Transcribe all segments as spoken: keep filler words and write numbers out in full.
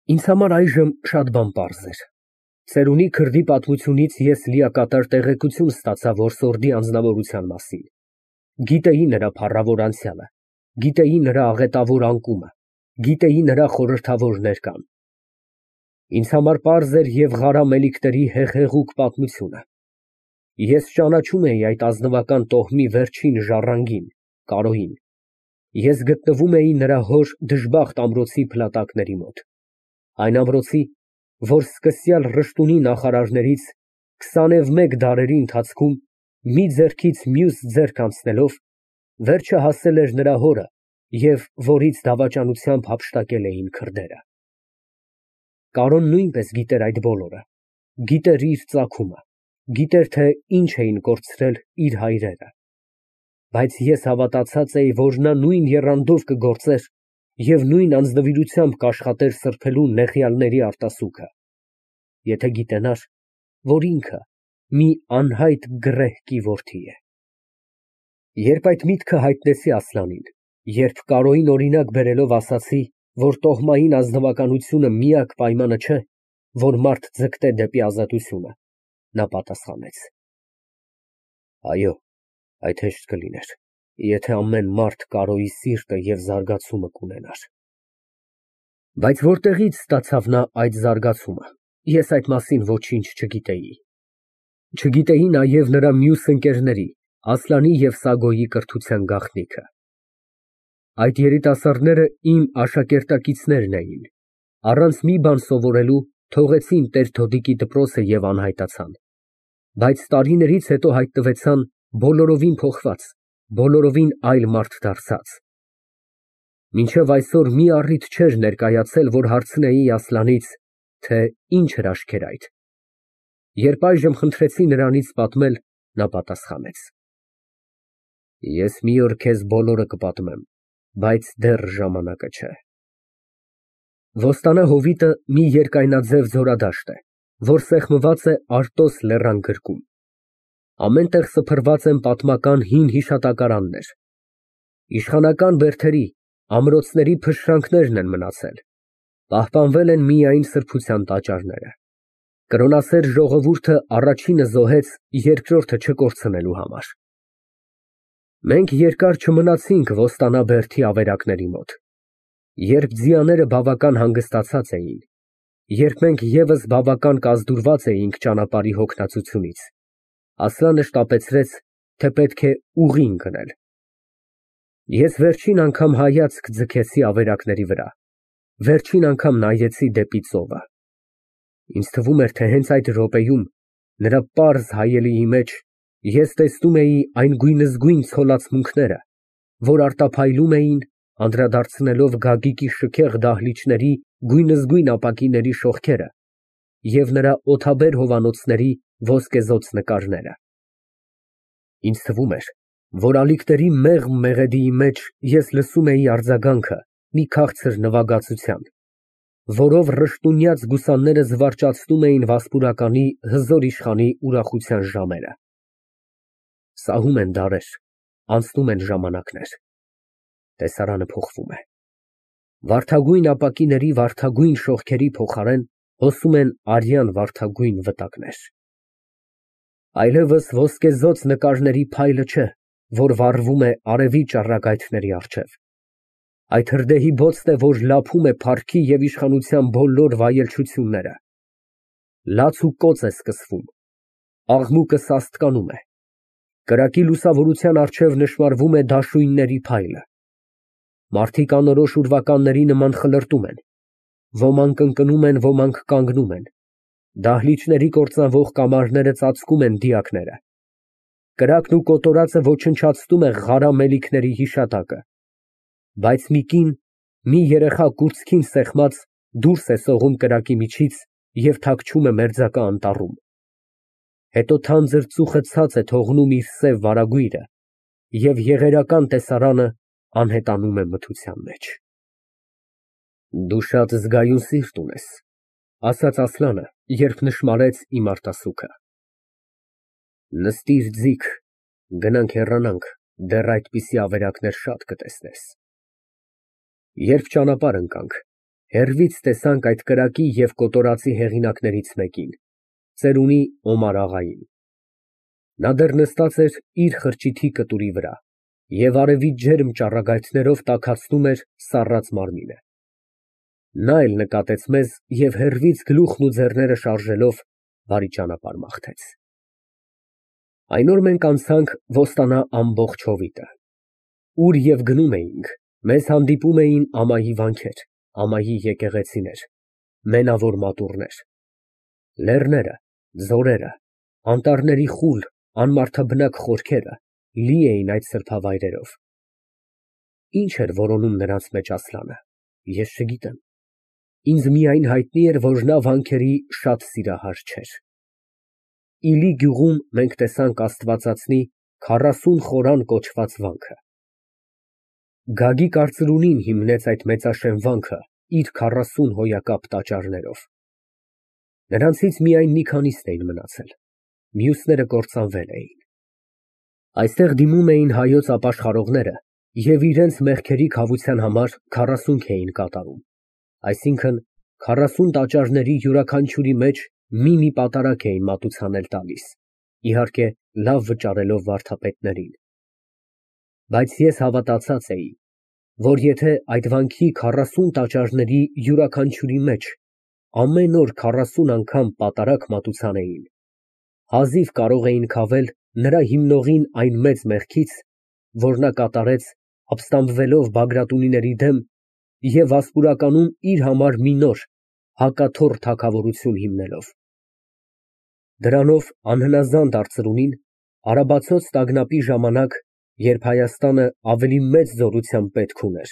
Ինձ համար այժմ շատ բան պարզ էր։ Ծերունի քրդի պատմությունից ես լիակատար տեղեկություն ստացա որսորդի անձնավորության մասին, գիտեի նրա փառավոր անցյալը, գիտեի նրա աղետավոր անկումը, գիտեի նրա խորհրդավոր ներկան։ Ինձ համար պարզ էր և Ղարա Մելիքների հեղեղուկ պատմությունը։ Ես ճանաչում էի այդ ազնվական տոհմի վերջին ժառանգին ֊ Կարոյին։ Ես գտնվում էի նրա հոր դժբախտ ամրոցի փլատակների մոտ, այն ամրոցի, որ սկսյալ Ռշտունի նախարարներից քսանևմեկ դարերի ընթացքում մի ձեռքից մյուս ձեռք անցնելով, վերջը հասել էր նրա հորը և որից դավաճանությամբ հափշտակել էին քրդերը։ Կարոն նույնպես գիտեր այդ բոլորը, գիտեր իր ծագումը, գիտեր, թե ինչ էին կորցրել իր հայրերը, բայց ես հավատացած էի, որ նա նույն եռանդով կգործեր և նույն անձնվիրությամբ կաշխատեր սրբելու նեղյալների արտասուքը, եթե գիտենար, որ ինքը մի անհայտ գռեհկի որդի է։ Երբ այդ միտքը հայտնեցի Ասլանին, երբ Կարոյին օրինակ բերելով ասացի, որ տոհմային ազնվականությունը միակ պայմանը չէ, որ մարդ ձգտե դեպի ազատությունը, նա պատասխանեց. Այո, այդ հեշտ կլիներ, եթե ամեն մարդ Կարոյի սիրտը և զարգացումը կունենար։ Բայց որտեղի՞ց ստացավ նա այդ զարգացումը, ես այդ մասին ոչինչ չգիտեի։ Չգիտեի նաև նրա մյուս ընկերների՝ Ասլանի և Սագոյի կրթության գաղտնիքը։ Այդ երիտասարդները իմ աշակերտակիցներն էին, առանց մի բան սովորելու թողեցին տեր֊Թոդիկի դպրոցը և անհայտացան, բայց տարիներից հետո հայտնվեցան բոլորովին փոխված, բոլորովին այլ մարդ դարձած։ Մինչև այսօր մի առիթ չէր ներկայացել, որ հարցնեի Ասլանից, թե ինչ հրաշք էր այդ։ Երբ այժմ խնդրեցի նրանից պատմել, նա պատասխանեց. Ես մի օր քեզ բոլորը կպատմեմ, բայց դեռ ժամանակը չէ։ Ոստանա հովիտը մի երկայնաձև ձորադաշտ է, որ սեղմված է Արտոս լեռան գրկում։ Ամեն տեղ սփռված են պատմական հին հիշատակարաններ։ Իշխանական բերդերի, ամրոցների փշրանքներն են մնացել, պահպանվել են միայն սրբության տաճարները։ Կրոնասեր ժողովուրդը առաջինը զոհեց երկրորդը չկորցնելու համար։ Մենք երկար չմնացինք Ոստանա բերդի ավերակների մոտ։ Երբ ձիաները բավական հանգստացած էին, երբ մենք ևս բավական կազդուրված էինք ճանապարհի հոգնածությունից, Ասլանը շտապեցրեց, թե պետք է ուղին գնել։ Ես վերջին անգամ հայացք ձգեցի ավերակների վրա, վերջին անգամ նայեցի դեպի ծովը։ Ինձ թվում էր, թե հենց այդ րոպեում նրա պարզ հայելիի մեջ ես տեսնում էի այն գույնզգույն ցոլացմունքները, որ արտափայլում էին, անդրադարձնելով Գագիկի շքեղ դահլիճների գույնզգույն ապակիների շողքերը և նրա օդաբեր հովանոցների ոսկեզօծ նկարները։ Ինձ թվում էր, որ ալիքների մեղմ մեղեդիի մեջ ես լսում էի արձագանքը մի քաղցր նվագածության, որով ռշտունյաց գուսանները զվարճացնում էին Վասպուրականի հզոր իշխանի ուրախության ժամերը։ Սահում են դարեր, անցնում են ժամանակներ, տեսարանը փոխվում է։ Վարդագույն ապակիների վարդագույն շողքերի փոխարեն հոսում են արյան վարդագույն վտակներ։ Այլևս ոսկեզօծ նկարների փայլը չէ, որ վառվում է արևի ճառագայթների առջև։ Այդ հրդեհի բոցն է, որ լափում է փառքի և իշխանության բոլոր վայելչությունները։ Լաց ու կոծ է սկսվում, աղմուկը սաստկանում է, կրակի լուսավորության առջև նշմարվում է դաշույնների փայլը։ Մարդիկ անորոշ ուրվականների նման խլրտում են, ոմանք ընկնում են, ոմանք կանգնում են, դահլիճների կործանվող կամարները ծածկում են դիակները։ Կրակն ու կոտորածը ոչնչացնում է Ղարա Մելիքների հիշատակը, բայց մի կին, մի երեխա կուրծքին սեղմած, դուրս է սողում կրակի միջից և թաքչում է մերձակա անտառում։ Հետո թանձր ծուխը ցած է թողնում իր սև վարագույրը, և եղերական տեսարանը անհետանում է մթության մեջ։ Դու շատ զգայուն սիրտ ունես, ասաց Ասլանը, երբ նշմարեց իմ արտասուքը։ Նստիր ձիգ, գնանք հեռանանք, դեռ այդպիսի ավերակներ շատ կտեսնես։ Երբ ճանապարհ ընկանք, Հեռվից տեսանք այդ կրակի և կոտորածի հեղինակներից մեկին, ծերունի Օմար աղային։ Նա դեռ նստած էր իր խրճիթի կտուրի վրա և արևի ջերմ ճառագայթներով տաքացնում էր սառած մարմինը։ Նա էլ նկատեց մեզ և հեռվից գլուխն ու ձեռները շարժելով բարի ճանապարհ մաղթեց։ Այն օր մենք անցանք Ոստանա ամբողջ հովիտը։ Ուր և գնում էինք, մեզ հանդիպում էին ամայի վանքեր, ամայի եկեղեցիներ, մենավոր մատուռներ։ Լեռները, ձորերը, անտառների խուլ, անմարդաբնակ խորքերը լի էին այդ սրբավայրերով։ Ինչ էր որոնում նրանց մեջ Ասլանը, ես չգիտեմ, ինձ միայն հայտնի էր, որ նա վանքերի շատ սիրահար չէր։ Իլի գյուղում մենք տեսանք աստվածածնի քառասուն խորան կոչված վանքը։ Գագիկ արծրունին հիմնեց այդ մեծաշեն վանքը իր քառասուն հոյակապ տաճարներով։ Նրանցից միայն մի քանիսն էին մնացել, մյուսները կործանվել էին։ Այստեղ դիմում էին հայոց ապաշխարողները և իրենց մեղքերի քավության համար քառասունք էին կատարում, այսինքն քառասուն տաճարների յուրաքանչյուրի մեջ մի֊մի պատարագ էին մատուցանել տալիս, իհարկե, լավ վճարելով վարդապետներին։ Բայց ես հավատացած էի, որ եթե այդ վանքի քառասուն տաճարների յուրաքանչյուրի մեջ ամեն օր քառասուն անգամ պատարագ մատուցանեին, հազիվ կարող էին քավել նրա հիմնողին այն մեծ մեղքից, որ նա կատարեց ապստամբվելով Բագրատունիների դեմ և Վասպուրականում իր համար մի նոր, հակաթոռ թագավորություն հիմնելով։ Դրանով անհնազանդ արծրունին արաբացոց տագնապի ժամանակ, երբ Հայաստանը ավելի մեծ զորությամբ պետք ուներ,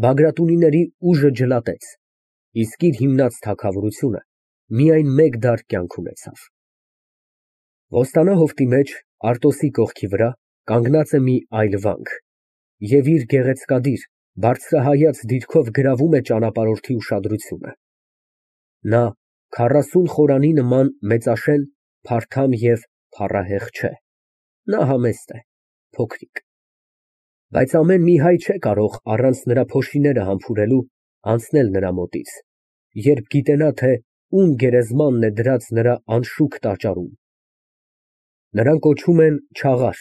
Բագրատունիների ուժը ջլատեց, իսկ իր հիմնած թագավորությունը միայն մեկ դար կյանք ունեցավ։ Ոստանա հովտի մեջ, Արտոսի կողքի վրա, կանգնած է մի այլ վանք և իր գեղեցկադիր, բարձրահայաց դիրքով գրավում է ճանապարհորդի ուշադրությունը։ Նա քառասուն խորանի նման մեծաշեն, փարթամ և փառահեղ չէ, նա համեստ է, փոքրիկ։ Բայց ամեն մի հայ չէ կարող առանց նրա փոշիները համբուրելու անցնել նրա մոտից, երբ գիտենա, թե ում գերեզմանն է դրած նրա անշուք տաճարում։ Նրան կոչում են Չաղար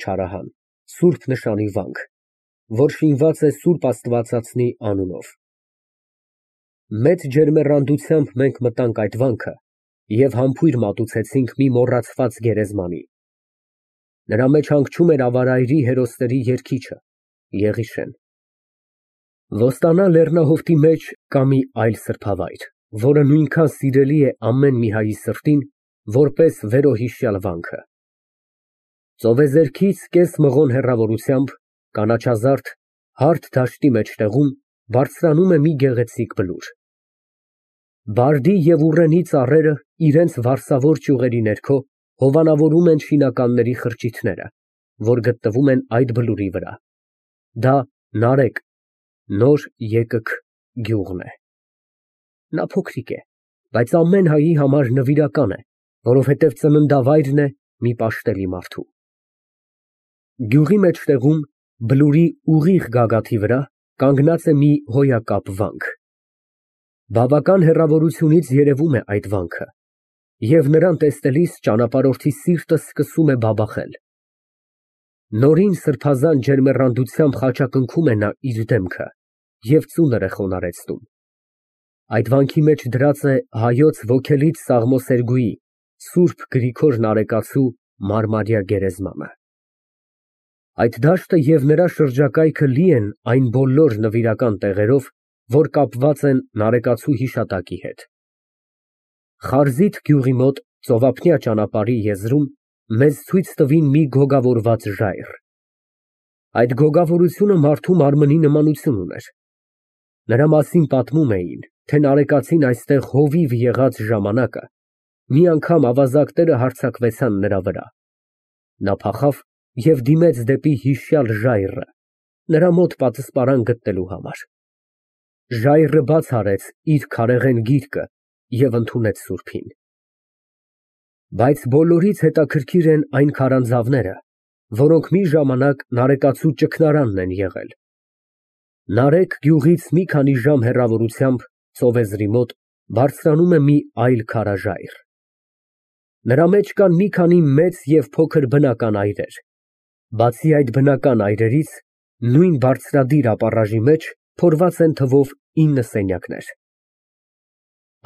(Չարահան) Սուրբ Նշանի վանք, որ շինված է Սուրբ Աստվածածնի անունով։ Մեծ ջերմեռանդությամբ մենք մտանք այդ վանքը և համբույր մատուցեցինք մի մոռացված գերեզմանի։ Նրա մեջ հանգչում էր ավարայրի հերոսների երգիչը՝ Եղիշեն։ Ոստանա լեռնահովտի մեջ կա մի այլ սրբավայր, որը նույնքան սիրելի է ամեն մի հայի սրտին, որպես վերոհիշյալ վանքը։ Ծովեզերքից կես մղոն հեռավորությամբ, կանաչազարդ, հարթ դաշտի մեջտեղում բարձրանում է մի գեղեցիկ բլուր։ Բարդի և ուռենի ծառերը իրենց վարսավոր ճյուղերի ներքո հովանավորում են շինականների խրճիթները, որ գտնվում են այդ բլուրի վրա։ Դա Նարեկ (նոր Եկըք) գյուղն է։ Նա փոքրիկ է, բայց ամեն հայի համար նվիրական է, որովհետև ծննդավայրն է մի պաշտելի մարդու։ Գյուղի մեջտեղում, բլուրի ուղիղ գագաթի վրա, կանգնած է մի հոյակապ վանք։ Բավական հեռավորությունից երևում է այդ վանքը, և նրան տեսնելիս ճանապարհորդի սիրտը սկսում է բաբախել։ Նորին սրբազան ջերմեռանդությամբ խաչակնքում է նա իր դեմքը և ծունր է խոնարհեցնում։ Այդ վանքի մեջ դրած է հայոց ոգելից Սաղմոսերգուի՝ Սուրբ Գրիգոր Նարեկացու մարմարյա գերեզմանը։ Այդ դաշտը և նրա շրջակայքը լի են այն բոլոր նվիրական տեղերով, որ կապված են Նարեկացու հիշատակի հետ։ Խարզիթ գյուղի մոտ ծովափնյա ճանապարհի եզրում մեզ ցույց տվին մի գոգավորված ժայռ։ Այդ գոգավորությունը մարդու մարմնի նմանություն ուներ։ Նրա մասին պատմում էին, թե նարեկացին այստեղ հովիվ եղած ժամանակը մի անգամ ավազակները հարձակվեցան նրա վրա։ Նա փախավ և դիմեց դեպի հիշյալ ժայռը, նրա մոտ պատսպարան գտնելու համար։ Ժայռը բաց արեց իր քարեղեն գիրկը և ընդունեց սուրբին։ Բայց բոլորից հետաքրքիր են այն քարանձավները, որոնք մի ժամանակ նարեկացու ճգնարանն են եղել։ Նարեկ գյուղից մի քանի ժամ հեռավորությամբ ծովեզրի մոտ բարձրանում է մի այլ քարաժայռ։ Նրա մեջ կան մի քանի մեծ և փոքր բնական այրեր, բացի այդ բնական այրերից, նույն բարձրադիր ապառաժի մեջ փորված են թվով ինը սենյակներ։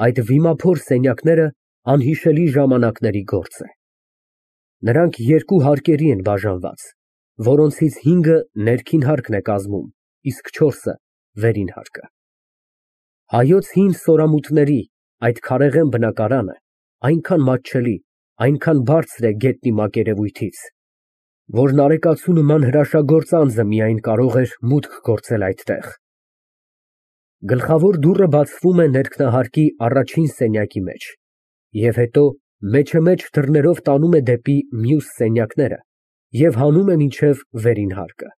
Այդ վիմափոր սենյակները անհիշելի ժամանակների գործ է։ Նրանք երկու հարկերի են բաժանված, որոնցից հինգը ներքին հարկն է կազմում, իսկ չորսը վերին հարկը։ Հայոց հին սորամուտների այդ քարեղեն բնակարանը այնքան մատչելի, այնքան բարձր է գետնի մակերևույթից, որ նարեկացու նման հրաշագործ անձը միայն կարող էր մուտք գործել այդտեղ։ Գլխավոր դուռը բացվում է ներքնահարկի առաջին սենյակի մեջ և հետո մեջըմեջ դռներով տանում է դեպի մյուս սենյակները և հանում է մինչև վերին հարկը։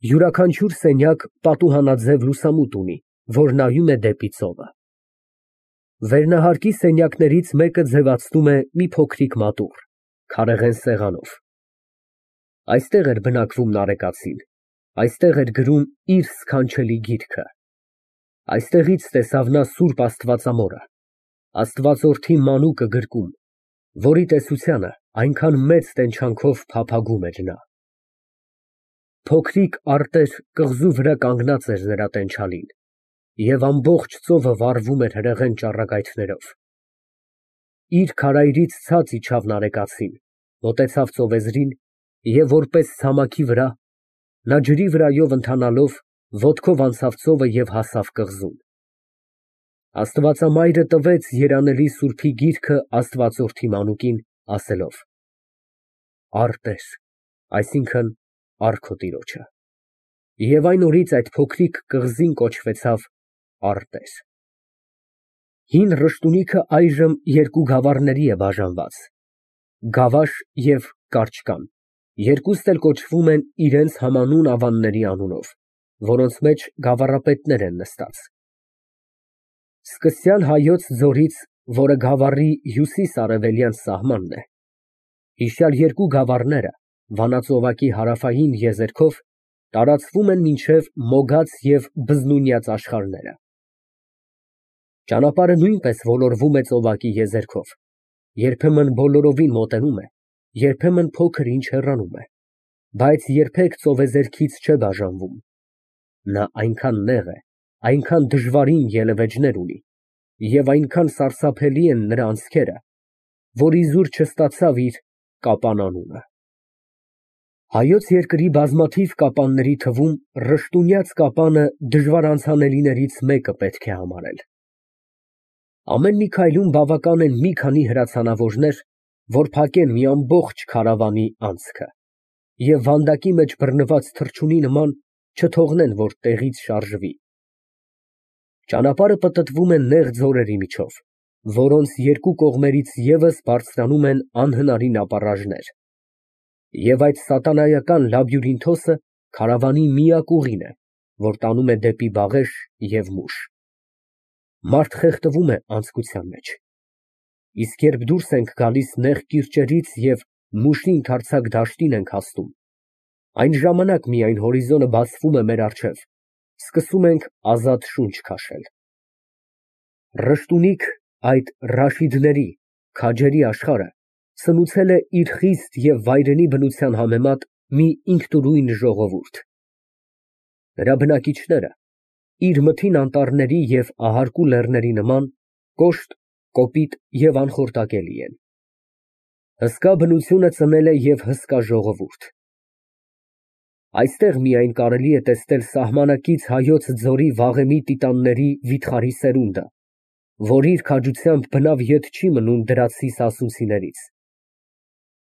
Յուրաքանչյուր սենյակ պատուհանաձև լուսամուտ ունի, որ նայում է դեպի ծովը։ Վերնահարկի սենյակներից մեկը ձևացնում է մի փոքրիկ մատուռ, քարեղեն սեղանով։ Այստեղ էր բնակվում նարեկացին, այստեղ էր գրում իր սքանչելի գիրքը։ Այստեղից տեսավ նա սուրբ Աստվածամորը, Աստվածորդի մանուկը գրկում, որի տեսությանը այնքան մեծ տենչանքով փափագում էր նա։ Փոքրիկ արտեր կղզու վրա կանգնած էր նրա տենչալին, և ամբողջ ծովը վառվում էր հրեղեն ճառագայթներով։ Իր քարայրից ցած իջավ նարեկացին, մոտեցավ ծովեզրին և որպես ցամաքի վրա, նա ջրի վրայով ընթանալով ոտքով անցավ ծովը և հասավ կղզուն։ Աստվածամայրը տվեց երանելի սուրբի գիրքը Աստվածորդի մանուկին, ասելով. «Արտեր», այսինքն՝ առ քո տիրոջը։ Եվ այն օրից այդ փոքրիկ կղզին կոչվեցավ Արտեր։ Հին ռշտունիքը այժմ երկու գավառների է բաժանված, Գավաշ և Կարճկան, երկուստ էլ կոչվում են իրենց համանուն ավանների անունով, որոնց մեջ գավառապետներ են նստած։ Սկսյալ Հայոց ձորից, որը գավառի հյուսիս֊արևելյան սահմանն է, հիշյալ երկու գավառները վանածովակի հարավային եզերքով տարածվում են մինչև Մոգաց և Բզնունյաց աշխարհները։ Ճանապարհը նույնպես ոլորվում է ծովակի եզերքով, երբեմն բոլորովին մոտենում է, երբեմն փոքր ինչ հեռանում է, բայց երբեք ծովեզերքից չէ բաժանվում։ Նա այնքան նեղ է, այնքան դժվարին ելևէջներ ունի և այնքան սարսափելի են նրա անցքերը, որ իզուր չստացավ իր Կապան անունը։ Հայոց երկրի բազմաթիվ կապանների թվում Ռշտունյաց կապանը դժվար անցանելիներից մեկը պետք է համարել։ Ամեն մի քայլում բավական են մի քանի հրացանավորներ, որ փակեն մի ամբողջ քարավանի անցքը և վանդակի մեջ բռնված թռչունի նման չթողնեն, որ տեղից շարժվի։ Ճանապարհը պտտվում է նեղ ձորերի միջով, որոնց երկու կողմերից ևս բարձրանում են անհնարին ապառաժներ, և այդ սատանայական լաբյուրինթոսը քարավանի միակ ուղին է, որ տանում է դեպի Բաղեշ և Մուշ։ Մարդ խեղդվում է անձկության մեջ, իսկ երբ դուրս ենք գալիս նեղ կիրճերից և Մուշի ընդարձակ դաշտին ենք հասնում, այն ժամանակ միայն հորիզոնը բացվում է մեր առջև, սկսում ենք ազատ շունչ քաշել։ Ռշտունիք, այդ Ռաշիդների, քաջերի աշխարհը սնուցել է իր խիստ և վայրենի բնության համեմատ մի ինքնուրույն ժողովուրդ։ Նրա բնակիչները իր մթին անտառների և ահարկու լեռների նման կոշտ, կոպիտ և անխորտակելի են։ Հսկա բնությունը ծնել է և հսկա ժողովուրդ։ Այստեղ միայն կարելի է տեսնել սահմանակից Հայոց ձորի վաղեմի տիտանների վիթխարի սերունդը, որ իր քաջությամբ բնավ ետ չի մնում դրացի սասունցիներից։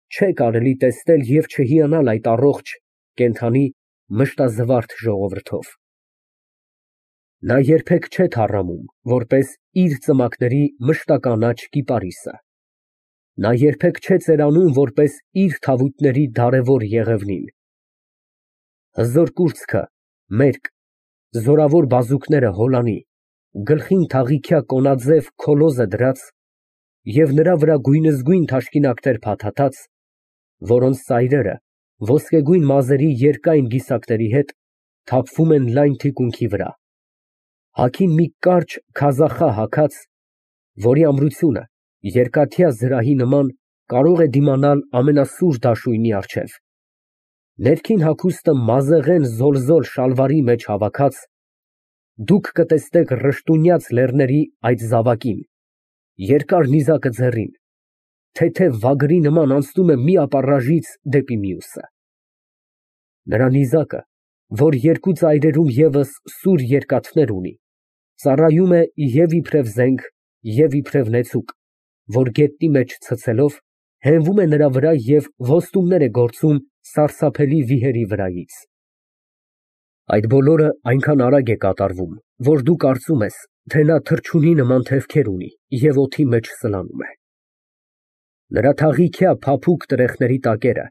Չէ կարելի տեսնել և չհիանալ այդ առողջ, կենդանի, մշտազվարթ ժողովրդով։ Նա երբեք չէ թառամում, որպես իր ծմակների մշտականաչ կիպարիսը։ Նա երբեք չէ ծերանում, որպես իր թավուտների դարևոր եղևնին։ Հզոր կուրծքը մերկ, զորավոր բազուկները հոլանի, գլխին թաղիքյա կոնաձև քոլոզ է դրած և նրա վրա գույնզգույն թաշկինակներ փաթաթած, որոնց ծայրերը ոսկեգույն մազերի երկայն գիսակների հետ թափվում են լայն թիկունքի վրա։ Հագին մի կարճ քազախա հագած, որի ամրությունը երկաթյա զրահի նման կարող է դիմանալ ամենասուր դաշույնի առջև։ Ներքին հագուստը մազեղեն զոլզոլ շալվարի մեջ հավաքած, դուք կտեսնեք ռշտունյաց լեռների այդ զավակին, երկար նիզակը ձեռին, թեթև վագրի նման անցնում է մի ապառաժից դեպի մյուսը։ Նրա նիզակը, որ երկու ծայրերում ևս սուր երկաթներ ունի, ծառայում է և իբրև զենք, և իբրև նեցուկ, որ գետնի մեջ ցցելով, հենվում է նրա վրա և ոստումներ է գործում սարսափելի վիհերի վրայից։ Այդ բոլորը այնքան արագ է կատարվում, որ դու կարծում ես, թե նա թռչունի նման թևքեր ունի և օդի մեջ սլանում է։ Նրա թաղիքյա փափուկ տրեխների տակերը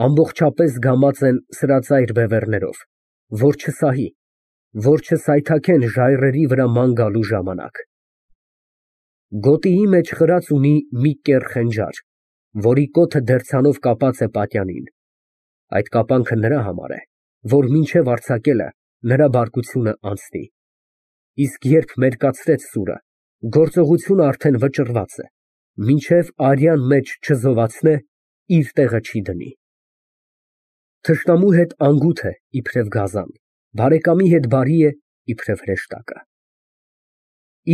ամբողջապես գամած են սրածայր բևեռներով, որ չսահի, որ չսայթաքեն ժայռերի վրա ման գալու ժամանակ։ Գոտիի մեջ խրած ունի մի կեռ խենջար, որի կոթը դերձանով կապած է պատյանին։ Այդ կապանքը նրա համար է, որ մինչև արձակելը նրա բարկությունը անցնի, իսկ երբ մերկացրեց սուրը, գործողությունը արդեն վճռված է, մինչև արյան մեջ չզովացնե, իր տեղը չի դնի։ Թշնամու հետ անգութ է իբրև գազան, բարեկամի հետ բարի է իբրև հրեշտակը։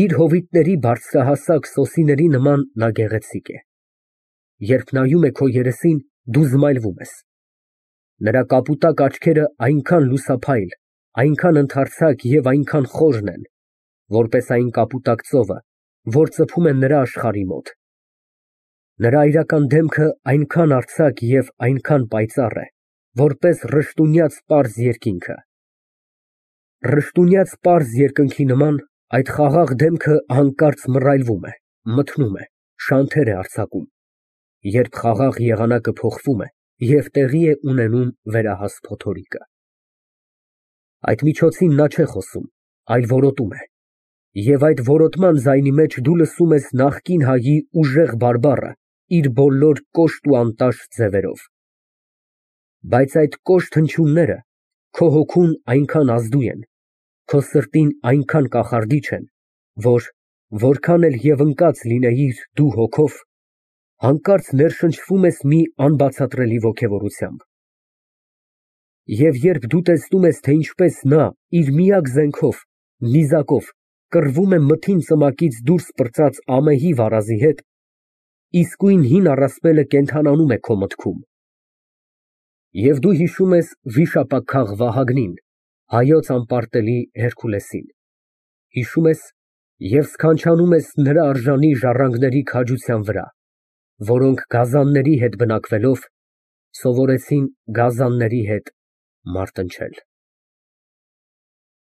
Իր հովիտների բարձրահասակ սոսիների նման նա գեղեցիկ է։ Երբ նայում է քո երեսին, դու զմայլվում ես։ Նրա կապուտակ աչքերը այնքան լուսափայլ, այնքան ընդարձակ և այնքան խորն են, որպես այն կապուտակ ծովը, որ ծփում է նրա աշխարհի մոտ։ Նրա այրական դեմքը այնքան արձակ և այնքան պայծառ է, որպես ռշտունյաց պարզ երկինքը։ Ռշտունյաց պարզ երկնքի նման այդ խաղաղ դեմքը հանկարծ մռայլվում է, մթնում է, շանթեր է արձակում, երբ խաղաղ եղանակը փոխվում է և տեղի է ունենում վերահաս փոթորիկը։ Այդ միջոցին նա չէ խոսում, այլ որոտում է, և այդ որոտման ձայնի մեջ դու լսում ես նախկին հայի ուժեղ բարբառը իր բոլոր կոշտ ու անտաշ ձևերով։ Բայց այդ կոշտ հնչյունները քո հոգուն այնքան ազդու են, քո սրտին այնքան կախարդիչ են, որ որքան էլ և ընկած լինեիր դու հոգով, հանկարծ ներշնչվում ես մի անբացատրելի ոգևորությամբ։ Եվ երբ դու տեսնում ես, թե ինչպես նա իր միակ զենքով, նիզակով, կռվում է մթին ծմակից դուրս պրծած ամեհի վարազի հետ, իսկույն հին առասպելը կենդանանում է քո մտքում։ Եվ դու հիշում ես վիշապաքաղ Վահագնին, հայոց անպարտելի Հերքուլեսին, հիշում ես և սքանչանում ես նրա արժանի ժառանգների քաջության վրա, որոնք գազանների հետ բնակվելով, սովորեցին գազանների հետ մարտնչել։